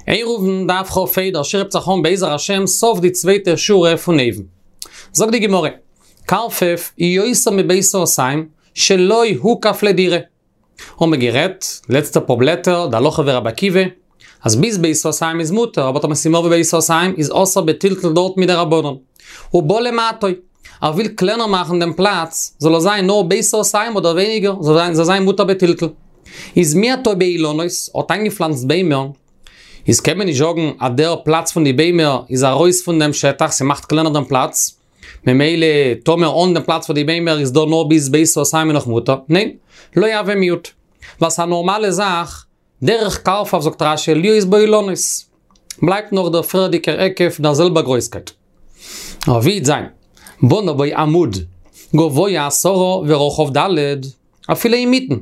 עירובין דף כ"ה, דער שיעור הייבט זיך אן בעזר השם סוף די צווייטע שורה פון אויבן. זאגט די גמרא, קרפף יותר מבית סאתים שלא הוקף לדירה. האבן מיר גערעדט לעצטע פאר בלעטער די הלכה ווי רבי עקיבא, אז ביז בית סאתים איז מותר, אבער טאמער ס'איז מער ווי בית סאתים איז אסור בטלטול דארט מדרבנן. ובא למעטו, ער וויל קלענער מאכן דעם פלאץ, זאל עס זיין נאר בית סאתים אדער ווייניגער, זאל זיין מותר בטלטול. איז מיעטו באילנות, האט איינגעפלאנצט ביימער, איז קען מען נישט זאגן אז דער פלאץ פון די ביימער איז ארויס פון דעם שטח, ס'מאכט קלענער דעם פלאץ, ממילא טאמער אן דעם פלאץ פון די ביימער איז דא נאר ביז בית סאתים נאך מותר, ניין, לא הוי מיעוט, ווייל ס'איז א נארמאלע זאך, דרך קרפף זאגט רש"י להיות בו אילנות, בלייבט נאך דער פריערדיגער היקף דער זעלבער גרויסקייט. אבער ווי וועט זיין, בנה בו עמוד, גבוה עשרה ורחב ד', אפילו אינמיטן,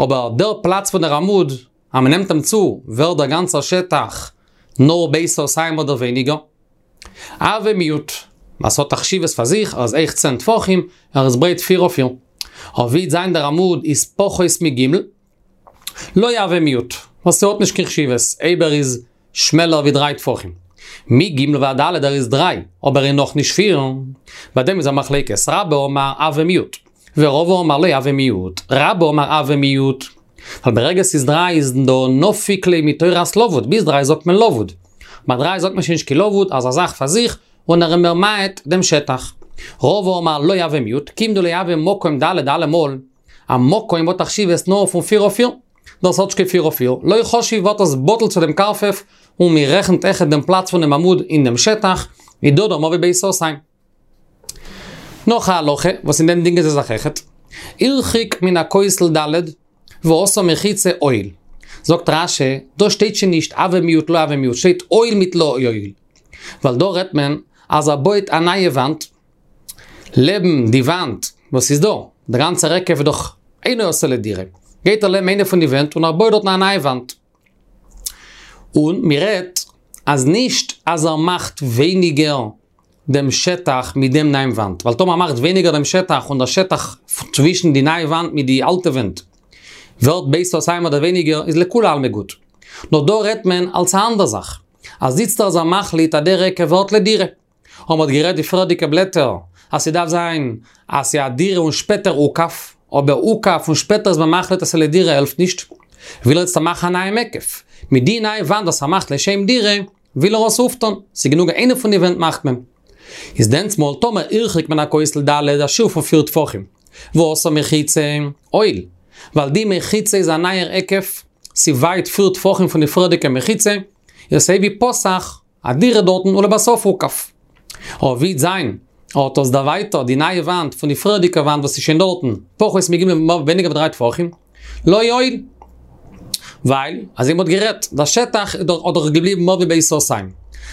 אבער דער פלאץ פון דער עמוד, אז מ'נעמט אים צו, ווערט דער גאנצער שטח נאר בית סאתים אדער ווייניגער. הוי מיעוט, ווייל ס'האט א חשיבות פאר זיך, ער איז הויך צען טפחים, ער איז ברייט פיר אויף פיר. אבער ווי וועט זיין דער עמוד איז פחות מג', לא הוי מיעוט, ווייל ס'האט נישט קיין חשיבות, אויב ער איז שמעלער ווי דריי טפחים. מג' ועד ד' ער איז דריי, אבער ער איז נאכנישט פיר. ביי דעם איז א מחלוקת, רבה אמר הוי מיעוט, ורבא אמר לא הוי מיעוט, רבה אמר הוי מיעוט. ווייל ברגע ס'איז דריי איז דא נפיק ליה מתורת לבוד, ביז דריי זאגט מען לבוד. ביי דריי זאגט מען שוין נישט קיין לבוד, אז א זאך פאר זיך, און ער איז ממעט דעם שטח. רבא אמר לא הוי מיעוט, כיון דלא הוי מקום ד' אלעמאל, א מקום האט א חשיבות נאר פון פיר אויף פיר, דאס האט נישט קיין פיר אויף פיר, לא חשיב ווערט עס בטל צו דעם קרפף, און מען רעכנט אויכעט דעם פלאץ פונעם עמוד אין דעם שטח, איז דא דא מער ווי בית סאתים. נאך א הלכה, וואס אין דעם דינגען זיי זיך אויכעט, הרחיק מן הכותל ד' ועשה מחיצה הועיל. זאגט רש"י, דא שטייט שוין נישט הוי מיעוט לא הוי מיעוט, שטייט הועיל מיט לא הועיל. ווייל דא רעדט מען אז ער בויט א נייע וואנט, לעבן די וואנט וואס איז דא, דער גאנצער היקף איז דאך אינו עשוי לדירה, גייט ער לעבן איינע פון די ווענט און ער בויט דארטן א נייע וואנט. און מען רעדט אז נישט אז ער מאכט ווייניגער דעם שטח מיט דעם נייעם וואנט, ווייל טאמער ער מאכט ווייניגער דעם שטח און דער שטח צווישן די נייע וואנט מיט די אלטע ווענט ווערט בית סאתים אדער ווייניגער איז לכולי עלמא גוט. נאר דא רעדט מען אלס א אנדער זאך, אז איצטער איז ער מחליט אז דער היקף ווערט לדירה. און מ'האט גערעדט די פריערדיגע בלעטער אז ס'דארף זיין אז ס'איז א דירה און שפעטער הוקף, אבער הוקף און שפעטער איז מען מחליט אז ס'איז לדירה העלפט נישט, וויל ער איצטער מאכן א נייעם היקף, מיט די נייע וואנט וואס ער מאכט לשם דירה, וויל ער עס אויפטון, ס'איז גענוג איינע פון די ווענט מאכט מען. איז דענסמאל טאמער הרחיק מן הכותל ד' א שיעור פון פיר טפחים, ועשה מחיצה, הועיל, ווייל די מחיצה איז א נייער היקף, ס'ווייט פיר טפחים פון די פריערדיגע מחיצה, איז אזוי ווי פתח, א דירה דארטן ולבסוף הוקף. אבער ווי וועט זיין האט עס דערווייטערט די נייע וואנט פון די פריערדיגע וואנט וואס איז שוין דארטן, פחות מג' ווייניגער ווי דריי טפחים, לא הועיל. ווייל, אזוי מ'האט גערעדט, דער שטח איז דאך האט דאך געבליבן מער ווי בית סאתים.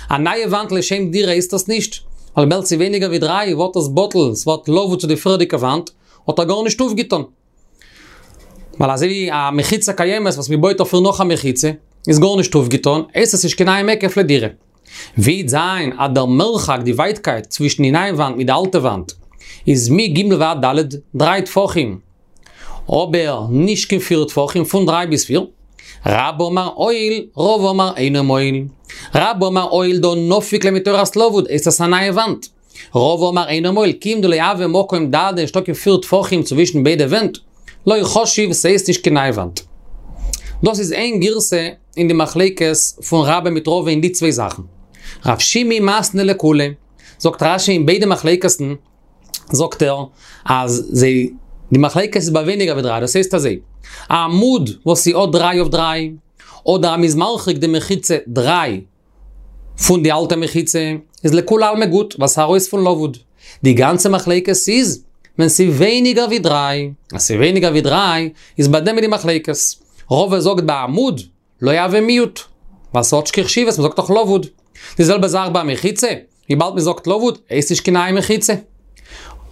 א נייע וואנט לשם דירה הייסט עס נישט, ווייל וויבאלד ס'איז ווייניגער ווי דריי ווערט עס בטל, ס'ווערט לבוד צו די פריערדיגע וואנט, האט ער גארנישט אויפגעטון. ווייל אזוי ווי א מחיצה קיימת וואס מען בויט אויף איר נאך א מחיצה, איז גארנישט אויפגעטון, הייסט עס נישט קיין נייעם היקף לדירה. ווי וועט זיין אז דער מרחק, די ווייטקייט, צווישן די נייע וואנט מיט די אלטע וואנט, איז מג' ועד ד', דריי טפחים, אבער נישט קיין פיר טפחים, פון דריי ביז פיר. רבה אמר הועיל, רבא אמר אינו מועיל. רבה אמר הועיל דהא נפיק ליה מתורת לבוד, הייסט עס א נייע וואנט. רבא אמר אינו מועיל, כיון דלא הוי מקום ד' נישטא קיין פיר טפחים צווישן ביידע ווענט, לא חשיב ס'הייסט נישט קיין נייע וואנט. דאס איז איין גירסא אין די מחלוקת פון רבה מיט רבא אין די צוויי זאכן. רב שימי מתני לכולהו, זאגט רש"י אין ביידע מחלוקת'ן זאגט ער אז זיי די מחלוקת איז ביי ווייניגער ווי דריי, דאס הייסט אזוי, א עמוד וואס ס'האט דריי אויף דריי, אדער אז מ'איז מרחיק די מחיצה דריי, פון די אלטע מחיצה איז לכולי עלמא גוט ווייל ס'איז ארויס פון לבוד. די גאנצע מחלוקת איז ווען ס'איז ווייניגער ווי דריי. אז ס'איז ווייניגער ווי דריי איז ביי דעם איז די מחלוקת. רבא זאגט ביי עמוד לא הוי מיעוט ווייל ס'האט נישט קיין חשיבות מ'זאגט דאך לבוד. די זעלבע זאך ביי מחיצה, וויבאלד מ'זאגט לבוד הייסט נישט קיין נייע מחיצה.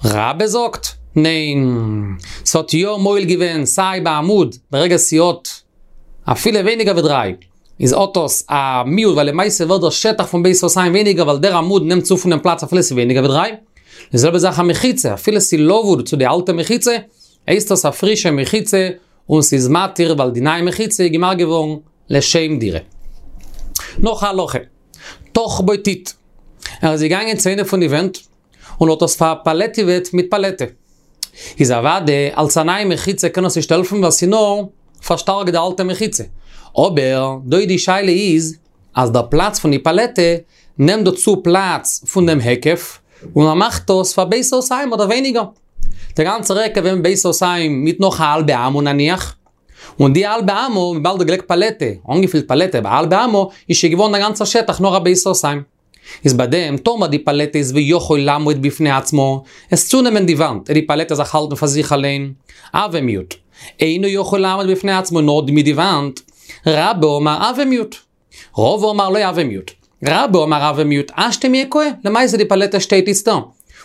רבה זאגט, ניין, ס'האט יא מועיל געווען סיי ביי עמוד ברגע ס'האט אפילו ווייניגער ווי דריי. איז האט עס א מיעוט ווייל למעשה ווערט דער שטח פון בית סאתים ווייניגער ווייל דער עמוד נעמט צו פונעם פלאץ אפילו ס'איז ווייניגער ווי דריי. די זעלבע זאך א מחיצה אפילו ס'איז לבוד צו די אלטע מחיצה הייסט עס א פרישע מחיצה און ס'איז מתיר ווייל די נייע מחיצה איז געמאכט געווארן לשם דירה. נאך א הלכה. טח בו טיט. ער איז געגאנגען צו איינע פון די ווענט, און האט עס פארפאלעטיוועט מיט פאלעטע. איז אוודאי אלס א נייע מחיצה קען עס נישט העלפן ווייל ס'איז נאר פארשטארקט די אלטע מחיצה. אבער דא די שאלה איז אז דער פלאץ פון די פאלעטע נעמט דא צו פלאץ פון דעם היקף, און ער מאכט עס פאר בית סאתים אדער ווייניגער. דער גאנצער היקף ווען בית סאתים מיט נאך א האלבע אמה נניח, און די האלבע אמה, וויבאלד ער האט געלייגט פאלעטע, אנגעפילט פאלעטע ביי האלבע אמה, איז שוין געווארן דער גאנצער שטח נאר א בית סאתים. איז ביי דעם, טאמער די פאלעטע איז ויכול לעמוד בפני עצמו, עס צונעמען די וואנט, די פאלעטע זיך האלטן פאר זיך אליין, הוי מיעוט. אינו יכול לעמוד בפני עצמו נאר מיט די וואנט, רבה אמר הוי מיעוט. רבא אמר לא הוי מיעוט. רבה אמר הוי מיעוט, השתא מיהא קאי, למעשה די פאלעטע שטייט איצטער.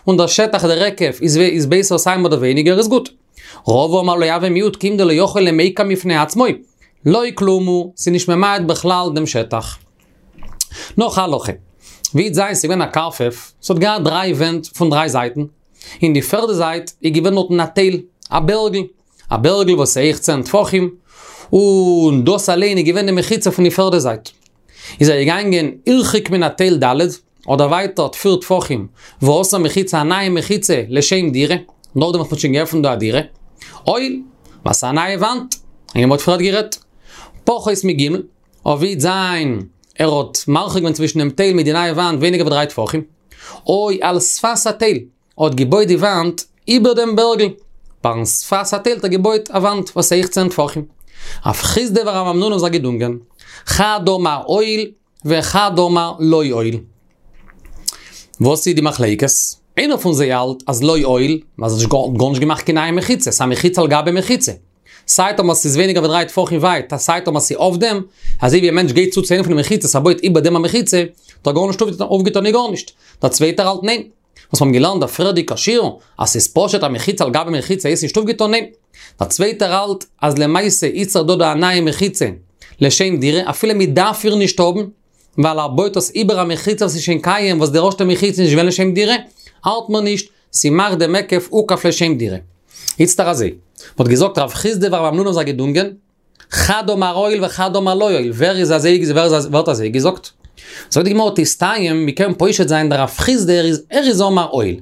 און דער שטח דער היקף איז איז בית סאתים אדער ווייניגער איז גוט. רבא אמר לא הוי מיעוט כיון דלא יכול למיקם בפני עצמו. לא כלום הוא, ס'איז נישט ממעט בכלל דעם שטח. נאך א הלכה. ווי זיין ס'איז געווען א קרפף, ס'האט געהאט דריי ווענט פון דריי זייטן. אין די פערדע זייט איז געווען דארטן א תל, א בערגל. א בערגל וואס איז הויך צען טפחים, און דאס אליין איז געווען די מחיצה פון די פערדע זייט. איז ער געגאנגען הרחיק מן התל ד', האט דערווייטערט פיר טפחים, ועשה מחיצה א נייע מחיצה לשם דירה, נאכדעם וואס מ'האט שוין געעפנט דא א דירה. אוהל, וואס א נייע וואנט, ווי מ'האט פריערט גערעדט. פחות מג', אויב וועט זיין ער האט מרחיק געווען צווישן דעם תל מיט די נייע וואנט ווייניגער ווי דריי טפחים. או על שפת התל, האט געבויט די וואנט איבער דעם בערגל, ביים שפת התל האט ער געבויט א וואנט וואס הויך צען טפחים. רב חסדא ורב המנונא האבן זיך געדונגען, חד אמר הועיל וחד אמר לא הועיל. וואס איז די מחלוקת? איינער פון זיי האלט אז לא הועיל, ווייל ס'האט גארנישט געמאכט קיין נייע מחיצה, ס'איז א מחיצה על גבי מחיצה. סיי טאמער ס'איז ווייניגער ווי דריי טפחים ווייט, סיי טאמער ס'איז אויף דעם, אזוי ווי א מענטש גייט צו צו איינע פון די מחיצות, ער בויט איבער דעם א מחיצה, האט ער גארנישט אויפגעטון און גארנישט. דער צווייטער האלט ניין. וואס מ'האבן געלערנט דער פריערדיגע שיעור, אז ס'איז פשוט א מחיצה על גבי מחיצה הייסט נישט אויפגעטון, ניין. דער צווייטער האלט אז למעשה איז דא דא א נייע מחיצה לשם דירה, אפילו מ'דארף איר נישט האבן, ווייל ער בויט עס איבער א מחיצה וואס איז שוין קיים וואס די ערשטע מחיצה איז נישט געווען לשם דירה, האלט מען נישט, ס'מאכט דעם היקף הוקף לשם דירה. איצטער אזוי, מ'האט געזאגט רב חסדא ורב המנונא האבן זיך געדונגען, חד אמר הועיל וחד אמר לא הועיל, ווער איז אזוי ווער איז ווער האט אזוי געזאגט? זאגט די גמרא תסתיים, מ'קען פושט זיין דרב חסדא ער איז ער איז אמר הועיל.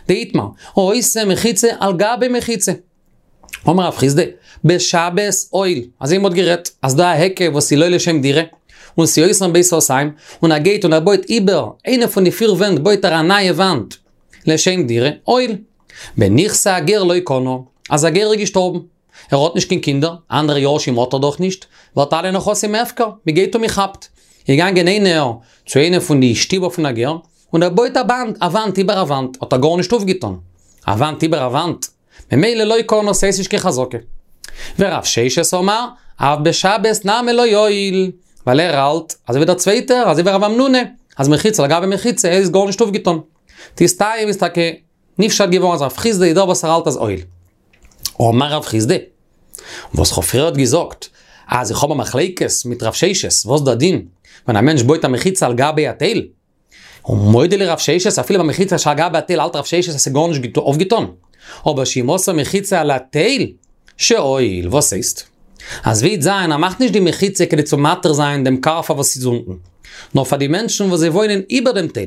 דאיתמר, העושה מחיצה על גבי מחיצה. אמר רב חסדא, בשבת הועיל, אזוי מ'האט גערעדט, אז דא א היקף וואס איז לא לשם דירה, און ס'איז יותר מבית סאתים, און ער גייט און ער בויט איבער איינע פון די פיר ווענט בויט ער א נייע וואנט לשם דירה, הועיל. בנכסי הגר לא קנה, אז א גר איז געשטארבן. ער האט נישט קיין קינדער, אנדערע יורשים האט ער דאך נישט, ווערט אלע נכסים הפקר, מען גייט און מען כאפט. איז געגאנגען איינער צו איינע פון די שטיבער פון א גר, און ער בויט א וואנט, א וואנט איבער א וואנט, האט ער גארנישט אויפגעטון. א וואנט איבער א וואנט. ממילא לא קנה, ס'הייסט נישט קיין חזקה. ורב ששת אמר, אף בשבת נמי לא הועיל, ווייל ער האלט, אזוי ווי דער צווייטער, אזוי ווי רב המנונא, אז מחיצה על גבי מחיצה איז גארנישט אויפגעטון. תסתיים איז טאקע נפשט געווארן אז רב חסדא איז דער וואס ער האלט אז הועיל. אמר רב חסדא, וואס כ'האב פריערט געזאגט, אז איך האב א מחלוקת מיט רב ששת, וואס דער דין ווען א מענטש בויט א מחיצה על גבי התל, און מודה לרב ששת, אפילו ביי מחיצה שעל גבי התל האלט רב ששת אז ס'איז גארנישט אויפגעטון, אבער שאם עשה מחיצה על התל, שהועיל, וואס הייסט? אז ווי זיין ער מאכט נישט די מחיצה כדי צו מתיר זיין דעם קרפף וואס איז אונטן, נאר פאר די מענטשן וואס זיי וואוינען איבער דעם תל.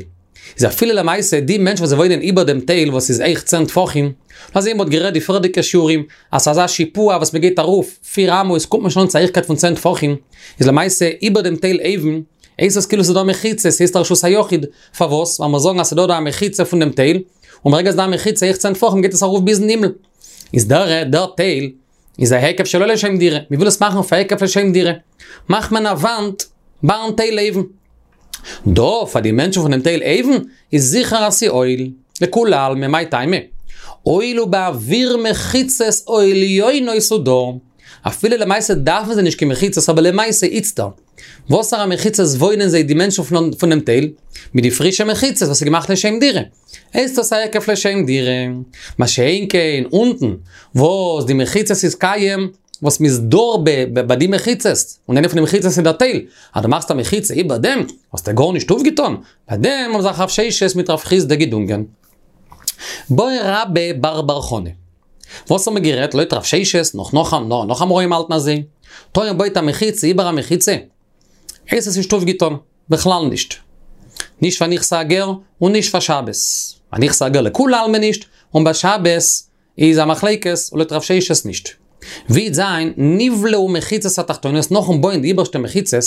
איז אפילו למעשה די מענטשן וואס זיי וואוינען איבער דעם תל וואס איז הויך צען טפחים, אזוי מ'האט גערעדט די פריערדיגע שיעורים אז ס'איז אזא שיפוע וואס מ'גייט ארויף פיר אמות קומט מען שוין אן צו א הויכקייט פון צען טפחים, איז למעשה איבער דעם תל אויבן הייסט עס כאילו ס'איז דא מחיצה, ס'הייסט א רשות היחיד, פארוואס? ווייל מיר זאגן אז ס'איז דא דא א מחיצה פון דעם תל, און ברגע ס'איז דא א מחיצה הויך צען טפחים גייט עס ארויף ביזן הימל. איז דער דער תל איז א היקף שלא לשם דירה, מ'וויל עס מאכן פאר היקף לשם דירה, מאכט מען א וואנט ביים תל אויבן. דא פאר די מענטשן פונעם תל אויבן איז זיכער אז ס'הועיל, לכולי עלמא מאי טעמא? הואיל ובאוויר מחיצות העליונות הוא דר, אפילו למעשה דארפן זיי נישט קיין מחיצות אבער למעשה איצטער וואסערע מחיצות וואוינען זיי די מענטשן פונעם תל? מיט די פרישע מחיצות וואס איז געמאכט לשם דירה. הייסט עס א היקף לשם דירה. מה שאין כן אונטן וואס די מחיצות איז קיים וואס מ'איז דר ביי די מחיצות, און איינע פון די מחיצות איז דער תל, אז דו מאכסט א מחיצה איבער דעם, האסטו גארנישט אויפגעטון, ביי דעם האבן זיך רב ששת מיט רב חסדא געדונגען. בעי רבה בר בר חנה. וואס האבן מיר גערעדט לויט רב ששת, נאך נאך נאך אמוראים האלטן אזוי, טאמער מ'בויט א מחיצה איבער א מחיצה, הייסט עס נישט אויפגעטון. בכלל נישט. נישט פאר נכסי הגר און נישט פאר שבת. ביי נכסי הגר לכולי עלמא נישט, און ביי שבת איז א מחלוקת און לויט רב ששת נישט. ווי וועט זיין נבלעו מחיצות התחתונות נאכן בויען די איבערשטע מחיצות,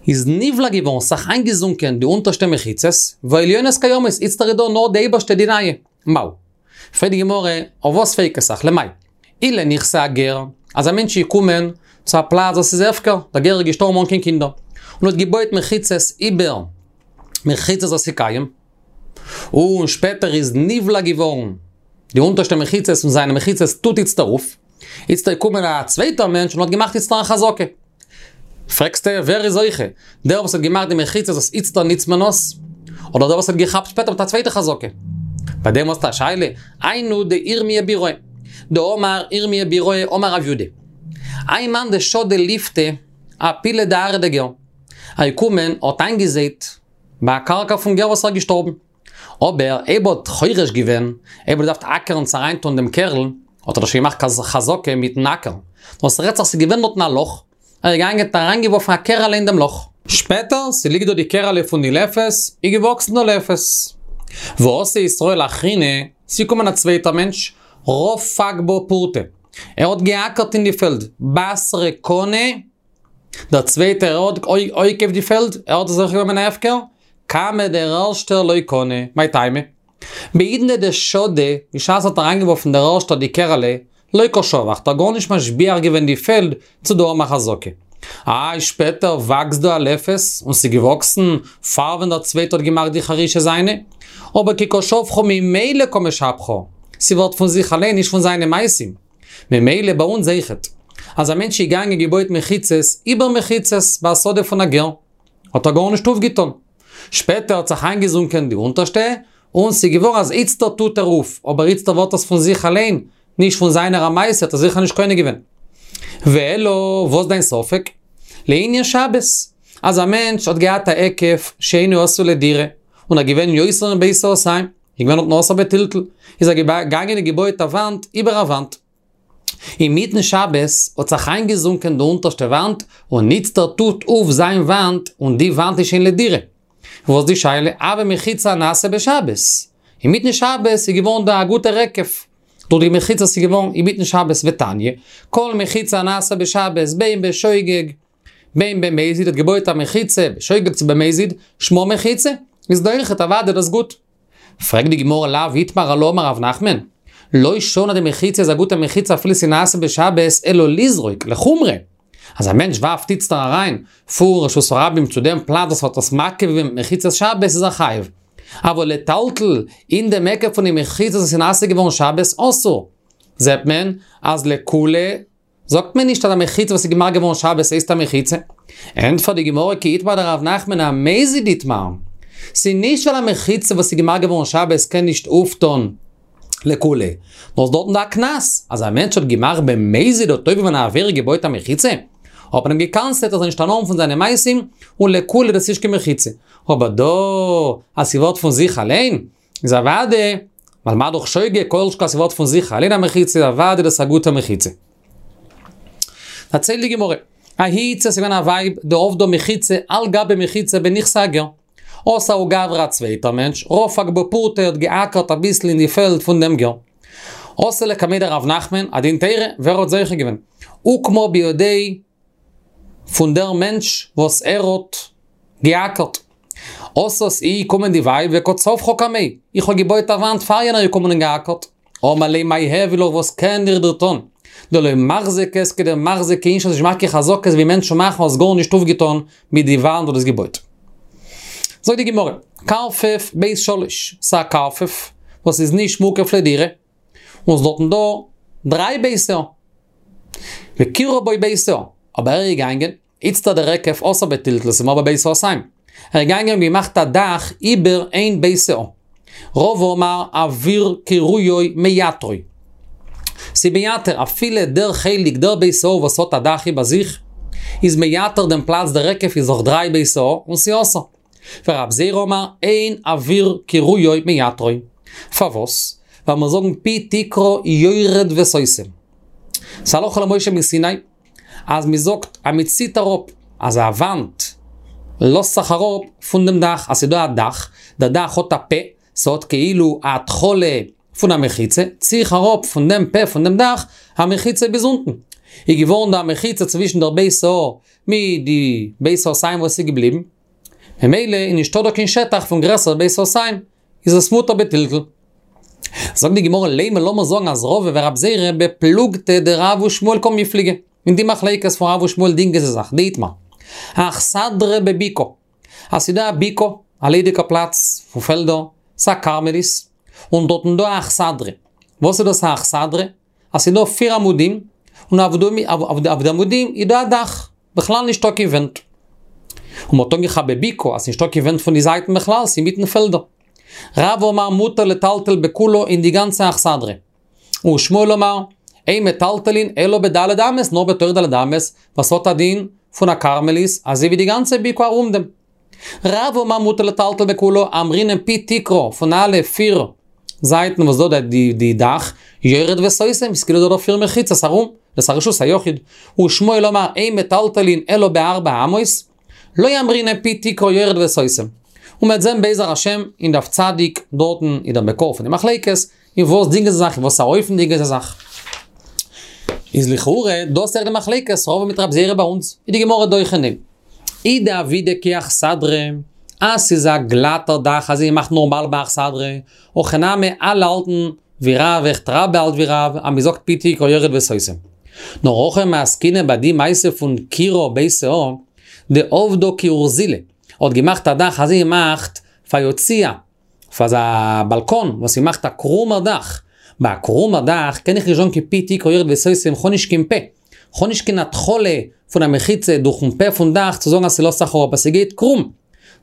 איז נבלע געווארן ס'זיך איינגעזונקען די אונטערשטע מחיצות, והעליונות קיימות, איצטער איז דא נאר די אייבערשטע די נייע. מהו? פרעגט די גמרא, אויף וואס פרעגט עס זיך? למאי? אי לנכסי הגר, אז א מענטש איז געקומען צו א פלאץ וואס איז הפקר, דער גר איז געשטארבן אן קיין קינדער, און האט געבויעט מחיצות איבער מחיצות וואס איז קיים, און שפעטער איז נבלע געווארן די אונטערשטע מחיצות און זיינע מחיצות טוט איצטער אויף, איצטער איז געקומען א צווייטער מענטש און האט געמאכט איצטער א חזקה. פרעגסטו ווער איז זוכה? דער וואס האט געמאכט די מחיצות וואס איצטער ניצט מען עס? אדער דער וואס האט געכאפט שפעטער מיט א צווייטע חזקה? ביי דעם האסטו א שאלה? היינו דאירמיה ביראי. דאמר ירמיה ביראי אמר רב יודא. האי מאן דשדי ליפתא אפיליה דארעא דגר. ער איז געקומען האט איינגעזייט ביי א קרקע פון גר וואס איז געשטארבן. אבער אויב האט חורש געווען, אויב האט געדארפט אקערן צו אריינטון דעם קערל, האט ער דאך שוין געמאכט חזקה מיטן אקער. נאר ס'רעדט זיך ס'איז געווען דארטן א לאך, ער איז געגאנגען האט אריינגעווארפן א קערעלע אין דעם לאך. שפעטער, ס'ליגט דא די קערעלע פון די לפת, איז געוואקסן די לפת. ואתא ישראל אחרינא, ס'איז געקומען א צווייטער מענטש, רפק בה פורתא. ער האט געאקערט אין די פעלד, בתריה קני, דער צווייטער האט אויפגעקויפט די פעלד, ער האט עס זוכה געווען מן ההפקר, קמיה דער ערשטער לא קני, מאי טעמא? בעידנא דשדי, בשעת האט אריינגעווארפן דער ערשטער די קערעלע, לא קא שבח, האט ער גארנישט משביח געווען די פעלד צו דא האבן א חזקה. איי שפעטער וואקסט דא א לפת, און ס'איז געוואקסן פאר ווען דער צווייטער האט געמאכט די חרישה זיינע, אבער כי קא שבחה ממילא קא משבחא, ס'ווערט פון זיך אליין נישט פון זיינע מעשים. ממילא ביי אונז אויכעט. אז א מענטש איז געגאנגען געבויט מחיצות איבער מחיצות ביי א שדה פון א גר, האט ער גארנישט אויפגעטון. שפעטער האט זיך איינגעזונקען די אונטערשטע, און ס'איז געווארן אז איצטער טוט ער אויף, אבער איצטער ווערט עס פון זיך אליין, נישט פון זיינער א מעשה האט ער זיכער נישט קונה געווען. ואלא, וואס דיין ספק? לענין שבת, אז א מענטש האט געהאט א היקף שאינו עשוי לדירה, און ער געווען יותר מבית סאתים, איז געווען דארטן אסור בטלטול, איז ער געגאנגען און געבויעט א וואנט איבער א וואנט. אינמיטן שבת האט זיך איינגעזונקען די אונטערשטע וואנט, און איצטער טוט אויף זיין וואנט, און די וואנט איז שוין לדירה. וואס די שאלה? הוה מחיצה נעשה בשבת. אינמיטן שבת איז געווארן דא א גוטער היקף. דורך די מחיצה איז געווארן אינמיטן שבת ותניא, כל מחיצה נעשה בשבת בין בשוגג בין במזיד האט געבויעט א מחיצה בשוגג צו במזיד, שמה מחיצה, איז דאך אוודאי דאס גוט. פרעגט די גמרא לאו איתמר עלה אמר רב נחמן, לא שנו אז די מחיצה איז א גוטע מחיצה אפילו ס'איז נעשה בשבת אלא לזרוק, לחומרא. אז א מענטש ווארפט איצטער אריין פון רשות הרבים צו דעם פלאץ וואס האט עס מקיף געווען מיט מחיצת שבת איז ער חייב. אבל לטלטל אין דעם היקף פון די מחיצה וואס איז נעשה געווארן שבת אסור. זעט מען אז לקולא זאגט מען נישט אז א מחיצה וואס איז געמאכט געווארן שבת הייסט א מחיצה. ענטפערט די גמרא כי איתמר דרב נחמן אמזיד איתמר. ס'איז נישט ווייל א מחיצה וואס איז געמאכט געווארן שבת קען נישט אויפטון לקולא. נאר ס'איז דארטן דא א קנס, אז א מענטש האט געמאכט במזיד האט עובר געווען א עבירה געבויט א מחיצה, האט מען אים געקנס'עט אז ער זאל נישט הנאה האבן פון זיינע מעשים, און לקולא דאס איז נישט קיין מחיצה. אבער דא אז ס'ווערט פון זיך אליין, איז אוודאי, ווייל מה דאך שוגג, כל שכן אז ס'ווערט פון זיך אליין א מחיצה, איז אוודאי דאס א גוטע מחיצה. דערציילט די גמרא, ההיא איתתא ס'איז געווען א ווייב דעבדה מחיצה על גבי מחיצה בנכסי הגר. אתא ההוא גברא א צווייטער מענטש, רפק בה פורתא האט געאקערט אביסל אין די פעלד פון דעם גר. אתו לקמיה דרב נחמן, א דין תורה, ווער האט זוכה געווען? אוקמה בידיה פון דער מענטש וואס ער האט געאקערט. אתת היא געקומען די ווייב וקא צווחה קמיה, איך האב געבויט א וואנט פאר יענער איז געקומען און געאקערט. אמר ליה מאי איהוי לך וואס קען איך דיר טון? דלא מחזקת כדמחזקי אינשי האסט נישט געמאכט קיין חזקות ווי מענטשן מאכן האסט גארנישט אויפגעטון מיט די וואנט וואס דו האסט געבויט. זאגט די גמרא, קרפף בית שלש, ס'איז א קרפף וואס איז נישט מוקף לדירה, און ס'איז דארטן דא דריי בית סאה, וקירה בו בית סאה, אבער ער איז געגאנגען, איצטער דער היקף אסור בטלטול ס'איז מרבה בית סאתים, ער איז געגאנגען און געמאכט א דאך איבער איין בית סאה. רבא אמר אויר קירויו מייתרו. ס'איז מייתר אפילו דער חלק דער בית סאה וואס האט א דאך איבער זיך, איז מייתר דעם פלאץ דער היקף איז דאך דריי בית סאה און ס'איז אסור. ורב זירא אמר אין אויר קירויו מייתרו. פארוואס? ווייל מיר זאגן פי תקרה יורד וסותם. ס'הלכה למשה מסיני. אז מען זאגט אז מען ציט אראפ אז א וואנט לאזט זיך אראפ פון דעם דאך, אז ס'איז דא א דאך, דער דאך האט א פה, ס'האט כאילו א התחלה פון א מחיצה, צי איך אראפ פון דעם פה פון דעם דאך א מחיצה ביז אונטן. איז געווארן דא א מחיצה צווישן דער בית סאה מיט די בית סאתים וואס איז געבליבן, ממילא איז נישטא דא קיין שטח פון גרעסער בית סאתים, איז עס מותר בטלטול. זאגט די גמרא לימא לאמיר זאגן אז רבא ורב זירא בפלוגתא דרב ושמואל קמיפלגי, אין די מחלוקת פון רב ושמואל דינגען זיי זיך, דאיתמר. אכסדרה בבקעה, אז ס'איז דא א בקעה, א ליידיגע פלאץ פון פעלדער, ס'א כרמלית, און דארטן דא א אכסדרה. וואס איז דאס א אכסדרה? אז ס'איז דא פיר עמודים, און אויף די עמודים איז דא א דאך, בכלל נישטא קיין ווענט. און מ'האט אנגעכאפט בבקעה אז ס'נישטא קיין ווענט פון די זייטן בכלל, ס'איז אינמיטן פעלדער. רב אמר מותר לטלטל בכולה אין די גאנצע אכסדרה. ושמואל אמר, אין מטלטלין אלא בד' אמות, נאר בתוך ד' אמות, וואס האט א דין פון א כרמלית, אזוי ווי די גאנצע בקעה ארום דעם. רב אמר מותר לטלטל בכולה, אמרינן פי תקרה פון אלע פיר זייטן וואס דא די דאך, יורד וסותם, איז כאילו דא דא פיר מחיצות ארום, דאס א רשות היחיד. ושמואל אמר אין מטלטלין אלא בארבע אמות, לא אמרינן פי תקרה יורד וסותם. און מ'וועט זען בעזר השם אין דף צדיק דארטן איז דער מקור פון די מחלוקת, אין וואס דינגען זיי זיך, אין וואס א אופן דינגען זיי זיך. איז לכאורה דאס אויך די מחלוקת רבא מיט רב זירא ביי אונז, איז די גמרא דוחה ניין. אי דעבידא כאכסדרה, אז ס'איז א גלאטער דאך אזוי ווי מ'מאכט נארמאל ביי אכסדרה, הכי נמי אלע האלטן ווי רב אויכעט רבה האלט ווי רב אז מ'זאגט פי תקרה יורד וסותם. נאר הכא מעסקינן ביי די מעשה פון קירה בית סאה, דעבדה כאורזילא, האט געמאכט א דאך אזוי ווי מ'מאכט פאר יציע, פאר אזא באלקאן וואס מ'מאכט א קרומער דאך, ביי א קרומער דאך קען איך נישט זאגן קיין פי תקרה יורד וסותם כ'האב נישט קיין פה, כ'האב נישט קיין התחלה פון א מחיצה דורכן פה פון דאך צו זאגן אז ס'לאזט זיך אראפ אז ס'גייט קרום.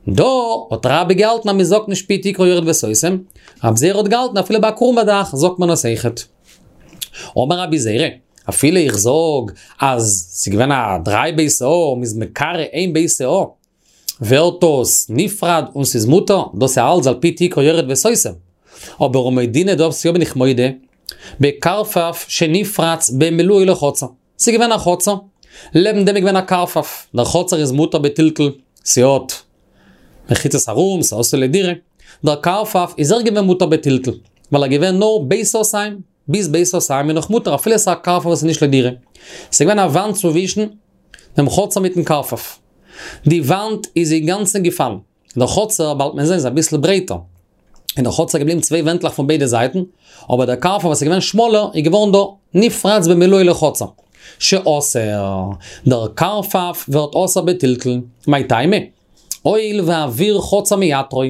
דא האט רבה געהאלטן אז מ'זאגט נישט פי תקרה יורד וסותם, רב זירא האט געהאלטן אפילו ביי א קרומע דאך זאגט מען עס אויכעט. אמר רבי זירא, אפילו איך זאג אז ס'געווען א דריי בית סאה און מ'איז מקרה איין בית סאה, ווערט דאס נפרד און ס'איז מותר, דאס איז אלץ על פי תקרה יורד וסותם. אבער ומודינא דאס יא בין איך מודה, בקרפף שנפרץ במילואו לחצר. ס'איז געווען א חצר, לעבן דעם איז געווען א קרפף, דער חצר איז מותר בטלטול, ס'האט מחיצות ארום, ס'איז עשוי לדירה. דער קרפף איז אויך געווען מותר בטלטול, ווייל ער געווען נאר בית סאתים, ביז בית סאתים איז נאך מותר אפילו ס'איז א קרפף וואס איז נישט לדירה. ס'איז געווען א וואנט צווישן דעם חצר מיטן קרפף. די וואנט איז אינגאנצן געפאלן. דער חצר, באלד מען זען, איז אביסל ברייטער. אין דער חצר געבליבן צוויי ווענטלעך פון ביידע זייטן, אבער דער קרפף וואס איז געווען שמאלער איז געווארן דא נפרץ במילואו לחצר. שאסור. דער קרפף ווערט אסור בטלטול. מאי טעמא? הואיל ואוויר חצר מייתרו.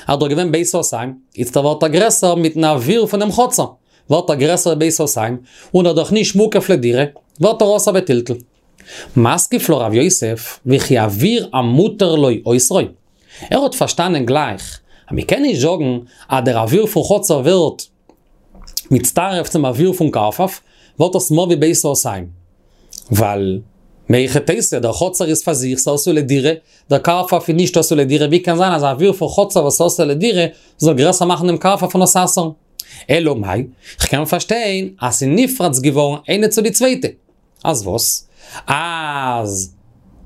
אז דא געווען בית סאתים, איצטער ווערט ער גרעסער מיטן אוויר פונעם חצר. ווערט ער גרעסער בית סאתים, און ער דאך נישט מוקף לדירה, ווערט ער אסור בטלטול. מתקיף לה רב יוסף, וכי אוויר המותר לו אוסרו. ער האט פארשטאנען גלייך, אז מ'קען נישט זאגן אז דער אוויר פון חצר ווערט מצטרף צום אוויר פון קרפף, ווערט עס מער ווי בית סאתים. ווייל מהיכי תיתי, דער חצר איז פאר זיך, ס'איז עשוי לדירה, דער קרפף איז נישט עשוי לדירה, ווי קען זיין אז אוויר פון חצר וואס איז עשוי לדירה זאל גרעסער מאכן דעם קרפף און עס אסר'ן? אלא מאי, כ'קען פארשטיין אז ס'איז נפרץ געווארן איינע צו די צווייטע. אז וואס? אז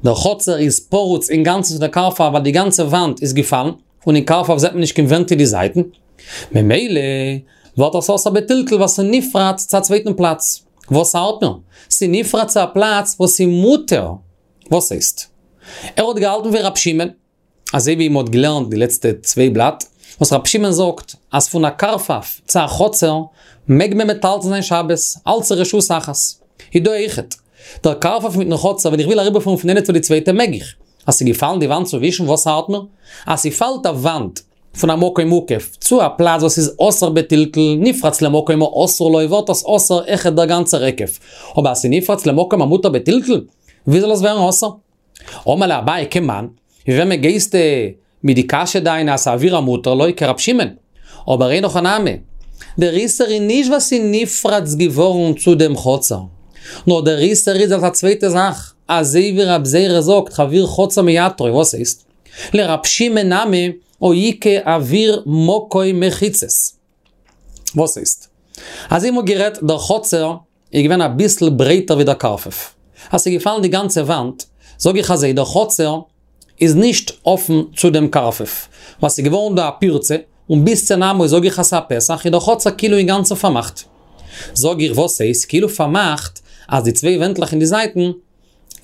דער חצר איז פרוץ אינגאנצן צו דער קרפף ווייל די גאנצע וואנט איז געפאלן, און אין קרפף זעט מען נישט קיין ווענט אין די זייטן. ממילא ווערט עס אסור בטלטול ווייל ס'איז נפרץ צו א צווייטן פלאץ. וואס ארט מיר? ס'איז נפרץ צו א פלאץ וואס איז מותר. וואס הייסט? ער האט געהאלטן ווי רב שמעון, אזוי ווי מ'האט געלערנט די לעצטע צוויי בלאט, וואס רב שמעון זאגט אז פון א קרפף צו א חצר מעג מען מטלטל זיין שבת, אלץ רשות אחת. איז דא אויכעט. דער קרפף מיטן חצר ווען איך וויל אריבערפארן פון איינע צו די צווייטע מעג איך. אז ס'איז געפאלן די וואנט צווישן וואס ארט מיר? אז ס'פאלט א וואנט פון א מקום מוקף צו א פלאץ וואס איז אסור בטלטול נפרץ למקום האסור לו ווערט עס אסור אויכעט דער גאנצער היקף. אבער אז ס'נפרץ למקום המותר בטלטול, ווי זאל עס ווערן אסור? אמר ליה אביי כמאן, ווי וועמען גייסטו מיט די קשיא דיינע אז ס'אוויר המותר לו כרב שמעון? אבער אין הכי נמי, דער איסור איז נישט ווייל ס'איז נפרץ געווארן צו דעם חצר, נאר דער איסור איז אלס א צווייטע זאך, אזוי ווי רב זירא זאגט אוויר חצר מייתרו, וואס הייסט? לרב שמעון נמי הא איכא אוויר מקום מחיצות. וואס הייסט? אזוי מ'האט גערעדט, דער חצר איז געווען אביסל ברייטער ווי דער קרפף. אז ס'איז געפאלן די גאנצע וואנט, זאג איך אזוי, דער חצר. איז נישט אפן צו דעם קרפף, ווייל ס'איז געווארן דא א פירצה, און ביז צען אמה זאג איך אז ס'איז א פתח, איז דער חצר כאילו אינגאנצן פארמאכט. זאג איך וואס הייסט כאילו פארמאכט, אז די צוויי ווענטלעך אין די זייטן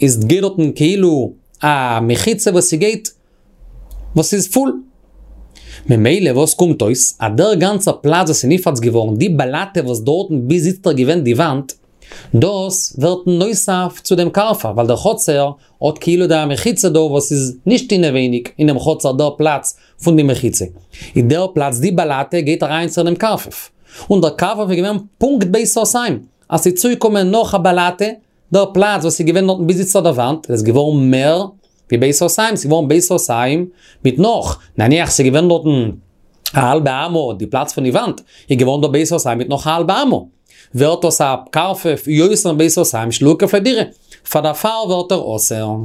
איז גייט דארטן כאילו א מחיצה וואס ס'גייט וואס איז פול. ממילא וואס קומט אויס, אז דער גאנצער פלאץ וואס איז נפרץ געווארן, די באלאטע וואס דארטן ביז איצטער געווען די וואנט, דאס ווערט נוסף צו דעם קרפף, ווייל דער חצר האט כאילו די מחיצה דא וואס איז נישט אינעווייניג אינעם חצר דער פלאץ פון די מחיצה. איז דער פלאץ די באלאטע גייט אריין צו דעם קרפף. און דער קרפף איז געווען פונקט בית סאתים, אז ס'איז צוגעקומען נאך א באלאטע, דער פלאץ וואס איז געווען דארטן ביז איצטער די וואנט, איז געווארן מער ווי בית סאתים, ס'איז געווארן בית סאתים מיט נאך, נניח ס'איז געווען דארטן א האלבע אמה די פלאץ פון די וואנט, איז געווארן דא בית סאתים מיט נאך א האלבע אמה. ווערט דאס א קרפף יותר מבית סאתים שלא הוקף לדירה, פאר דערפאר ווערט ער אסור.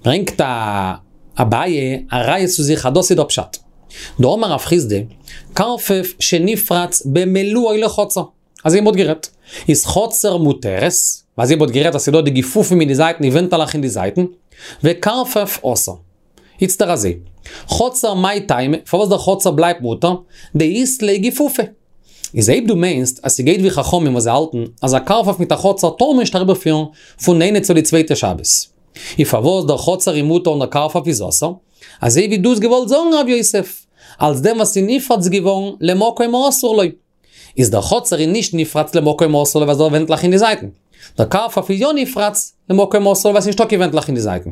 ברענגט אביי א ראיה צו זיך אז דאס איז דער פשט. דאמר רב חסדא, קרפף שנפרץ במלואו לחצר. אזוי מ'האט גערעדט. איז חצר מותרת, אזוי מ'האט גערעדט אז ס'איז דא די גיפופים אין די זייטן, די ווענטעלעך אין די זייטן, וקרפף אסור. איצטער אזוי. חצר מאי טעמא, פארוואס דער חצר בלייבט מותר? דאית ליה גיפופי. איז אויב דו מיינסט אז ס'גייט ווי חכמים וואס זיי האלטן אז א קרפף מיט א חצר טאר מען נישט אריבערפירן פון איינע צו די צווייטע שבת. איז פארוואס דער חצר איז מותר און דער קרפף איז אסור? אזוי ווי דו האסט געוואלט זאגן רב יוסף, אלס דעם וואס איז נפרץ געווארן למקום האסור לו. איז דער חצר איז נישט נפרץ למקום האסור לו ווייל ס'דא ווענטלעך אין די זייטן. דער קרפף איז יא נפרץ למקום האסור לו ווייל ס'איז נישטא קיין ווענטלעך אין די זייטן.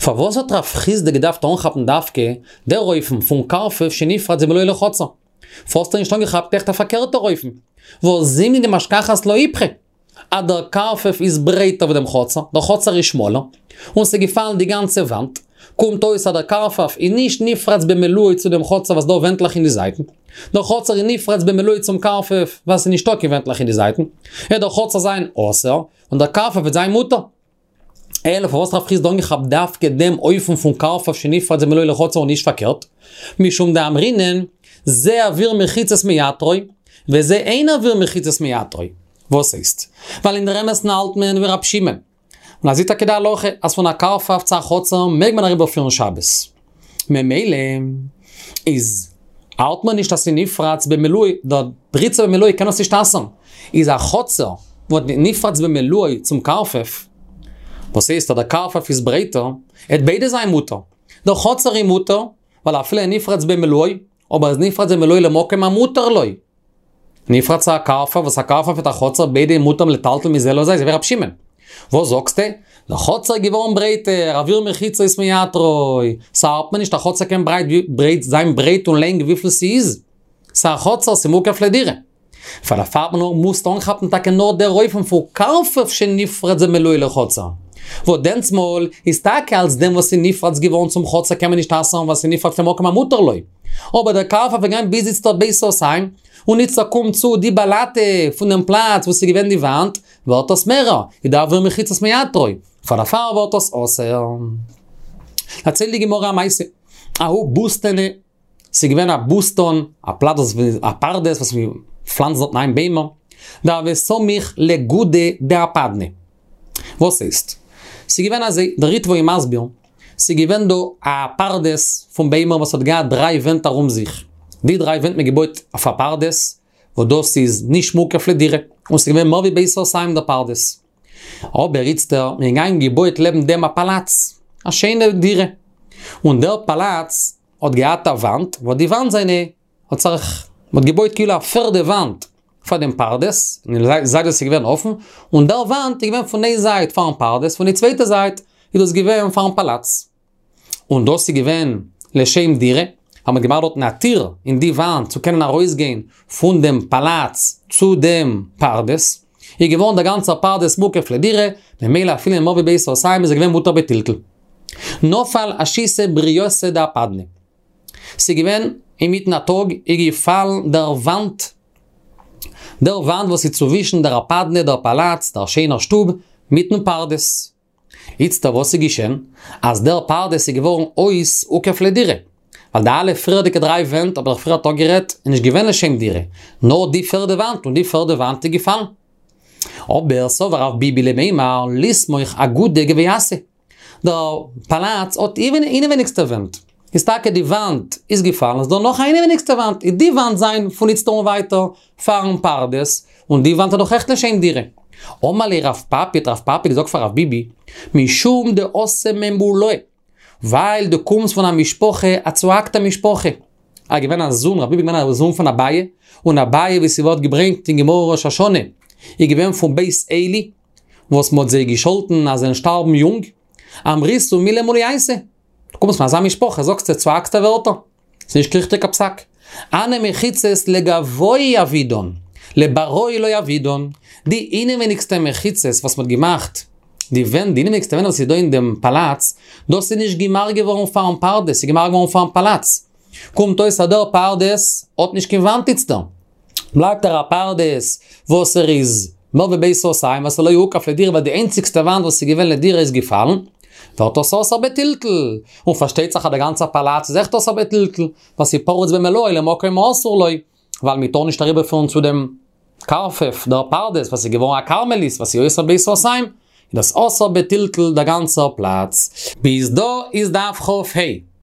פארוואס האט רב חסדא געדארפט אנכאפן דווקא דער אופן פון קרפף שנפרץ במלואו לחצר? פארוואס האט ער נישט אנגעכאפט אויכעט א פארקערטער אופן? והא זימנין דמשכחת לה איפכא. אז דער קרפף איז ברייטער ווי דעם חצר, דער חצר איז שמאלער, און ס'איז געפאלן די גאנצע וואנט, קומט אויס אז דער קרפף איז נישט נפרץ במלואו צו דעם חצר וואס דא ווענטלעך אין די זייטן, דער חצר איז נפרץ במלואו צום קרפף ווייל ס'איז נישטא קיין ווענטלעך אין די זייטן, וועט דער חצר זיין אסור, און דער קרפף וועט זיין מותר. אלא פארוואס רב חסדא אנגעכאפט דווקא דעם אופן פון קרפף שנפרץ במלואו לחצר און נישט פארקערט? משום דאמרינן, זה אויר מחיצות מייתרו, וזה אין אויר מחיצות מייתרו. וואס הייסט? ווייל אין דער אמת'ן האלט מען ווי רב שמעון. און אזוי טאקע די הלכה, אז פון א קרפף צו א חצר מעג מען אריבערפירן שבת. ממילא איז האלט מען נישט אז ס'איז נפרץ במלואו, דער פריצה במלואו קען עס נישט אסר'ן. איז א חצר וואס נפרץ במלואו צום קרפף, וואס הייסט אז דער קרפף איז ברייטער, עט ביידע זיין מותר. דער חצר איז מותר, ווייל אפילו נפרץ במלואו, אבער איז נפרץ במלואו למקום המותר לו. נפרץ א קרפף וואס א קרפף מיט א חצר ביידע מותר לטלטל מזה לזה, אזוי ווי רב שמעון. וואס זאגסטו? דער חצר איז געווארן ברייטער, אויר מחיצות מייתרו, ס'ארט מיר נישט א חצר קען ברייט ברייט זיין ברייט און לענג וויפיל ס'איז. ס'א חצר ס'מוקף לדירה. פאר דערפאר האט מען נאר מוזט אנכאפן טאקע נאר דער אופן פון קרפף שנפרץ במלואו לחצר. וואס דענסמאל איז טאקע אלס דעם וואס איז נפרץ געווארן צום חצר קען מען נישט אסר'ן ווייל ס'איז נפרץ למקום המותר לו. אבער דער קרפף איז געווען ביז איצטערט בית סאתים, און איצטער קומט צו די באלאטע פון דעם פלאץ וואס איז געווען די וואנט, ווערט עס מערער, איז דער אויר מחיצות מייתרו, פאר דערפאר ווערט עס אסור. דערציילט די גמרא א מעשה, ההוא בוסתנא, ס'איז געווען א בוסתן, א פלאץ וואס א פרדס וואס מען פלאנצט דארטן איין ביימער, דהוה סמיך לגודא דאפדנא. וואס הייסט? ס'איז געווען אזוי, דער ריטבא איז מסביר, ס'איז געווען דא א פרדס פון ביימער וואס האט געהאט דריי ווענט ארום זיך. די דריי ווענט מען געבויט אויף א פרדס, וואס דאס איז נישט מוקף לדירה, און ס'איז געווען מער ווי בית סאתים דער פרדס. אבער איצטער, מען געגאנגען געבויעט לעבן דעם א פאלאץ, א שיינע דירה. און דער פאלאץ האט געהאט א וואנט, וואס די וואנט זיינע האט זיך, מ'האט געבויט כאילו א פערדע וואנט פאר דעם פרדס, אין די זייט וואס איז געווען אפן, און דער וואנט איז געווען פון איין זייט פארן פרדס, פון די צווייטע זייט איז דאס געווען פארן פאלאץ. און דאס איז געווען לשם דירה, אז מ'האט געמאכט דארטן א טיר אין די וואנט צו קענען ארויסגיין פון דעם פאלאץ צו דעם פרדס, איז געווארן דער גאנצער פרדס מוקף לדירה, ממילא אפילו מער ווי בית סאתים איז ער געווען מותר בטלטול. נפל אשיתא בריתא דאפדנא. ס'איז געווען אינמיטן א טאג, איז געפאלן דער וואנט, דער וואנט וואס איז צווישן דער אפדנא, דער פאלאץ, דער שיינער שטוב, מיטן פרדס. איצטער וואס איז געשען? אז דער פרדס איז געווארן אויס הוקף לדירה. ווייל די אלע פריערדיגע דריי ווענט האב איך פריערט אפגערעדט, איז נישט געווען לשם דירה, נאר די פערדע וואנט, און די פערדע וואנט איז געפאלן. אבער סבר רב ביבי למימר, לסמוך אגודא גווייתא. דער פאלאץ האט אינעווייניגסטע ווענט. איז טאקע די וואנט איז געפאלן, איז דא נאך א אינעווייניגסטע וואנט, איז די וואנט זיין פון איצטער און ווייטער פארן פרדס, און די וואנט איז דאך אויכעט לשם דירה. אמר ליה רב פפי, האט רב פפי געזאגט פאר רב ביבי, משום דאתא ממולאי, ווייל דו קומסט פון א משפחה, א צוהאקטע משפחה. ער איז געווען א זון, רב ביבי איז געווען א זון פון אביי, און אביי ווי ס'ווערט געברענגט אין גמרא ראש השנה, איז געווען פון בית עלי, וואס מ'האט זיי געשאלטן אז זיי וועלן שטארבן יונג, אמריתו מילי מוליייתא. דו קומסט פון אזא משפחה, זאגסטו צוהאקטע ווערטער. ס'איז נישט קיין ריכטיגע פסק. הני מחיצות לגואי עבידן, לבראי לא עבידן. די אינעווייניגסטע מחיצות וואס מ'האט געמאכט, די ווענט, די אינעווייניגסטע ווענט וואס איז דא אין דעם פאלאץ, דאס איז נישט געמאכט געווארן פארן פרדס, ס'איז געמאכט געווארן פארן פאלאץ. קומט אויס אז דער פרדס האט נישט קיין וואנט איצטער. בלייבט ער א פרדס וואס ער איז מער ווי בית סאתים וואס איז לא הוקף לדירה ווייל די איינציגסטע וואנט וואס איז געווען לדירה איז געפאלן, ווערט עס אסור בטלטול, און פארשטייט זיך אז דער גאנצער פאלאץ איז אויכעט אסור בטלטול, ווייל ס'איז פרוץ במלואו למקום האסור לו, ווייל מ'טאר נישט אריבערפירן צו דעם קרפף דער פרדס וואס איז געווארן א כרמלית וואס איז יותר מבית סאתים, איז דאס אסור בטלטול דער גאנצער פלאץ. ביז דא איז דף כ"ה.